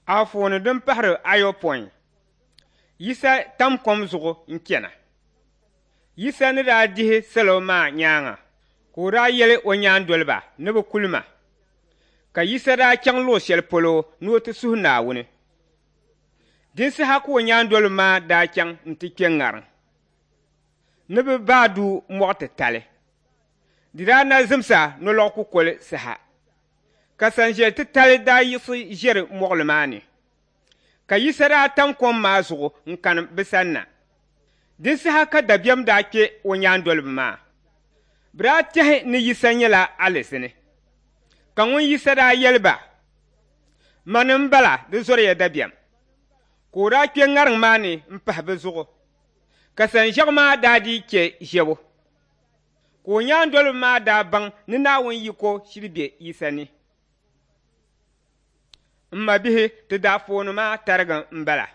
Anfooni din pahiri ayopɔin, Yisa tam kom zuɣu n-chana. Yisa ni daa dihi salo maa nyaaŋa ka o daa yɛli o nyaandoliba ni bɛ kuli ma. Ka Yisa daa chaŋ luɣ shɛli polo ni o ti suhi Naawuni. Din saha ka o nyaandoliba maa daa chaŋ nti kpe ŋariŋ ni bɛ baai du mɔɣ titali. Di daa na zimsa nolɔɣu kukoli saha, ka sanʒiɛl titali daa yiɣisi ʒiɛri mɔɣili maa ni. Ka Yisa daa tam kom maa zuɣu n-kani bɛ sanna. Din saha ka dabiɛm daa kpe o nyaandoliba maa. Bɛ daa tɛhi ni Yisa nyɛla alizini. Ka ŋun Yisa daa yɛli ba, Mani m-bala, di zɔriya dabiɛm. Ka o daa kpe ŋariŋ maa ni m-pahi bɛ zuɣu, ka sanʒiɛɣu maa daa dii chɛ ʒiɛbu. Ka o nyaandoliba maa daa baŋ ni Naawuni yiko shiri be Yisa ni. M mabihi, ti daafooni maa tariga m-bala.